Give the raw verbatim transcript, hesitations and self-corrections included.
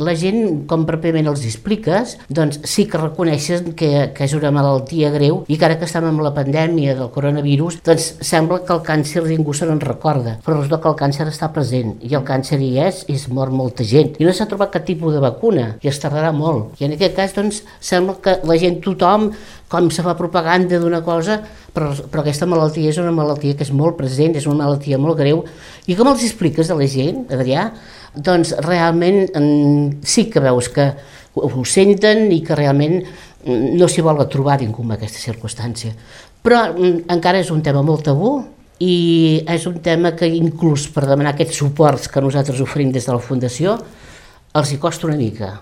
La gent, com pròpiament els expliques, doncs sí que reconeixen que, que és una malaltia greu i que ara que estem amb la pandèmia del coronavirus, doncs sembla que el càncer ningú se n'en recorda, però resulta que el càncer està present i el càncer hi és i es mor molta gent. I no s'ha trobat cap tipus de vacuna i es tardarà molt. I en aquest cas, doncs, sembla que la gent, tothom, com se fa propaganda d'una cosa, però, però aquesta malaltia és una malaltia que és molt present, és una malaltia molt greu. I com els expliques a la gent, Adrià? Doncs realment sí que veus que ho senten i que realment no s'hi vol trobar ningú en aquesta circumstància. Però encara és un tema molt tabú i és un tema que inclús per demanar aquests suports que nosaltres oferim des de la Fundació els hi costa una mica.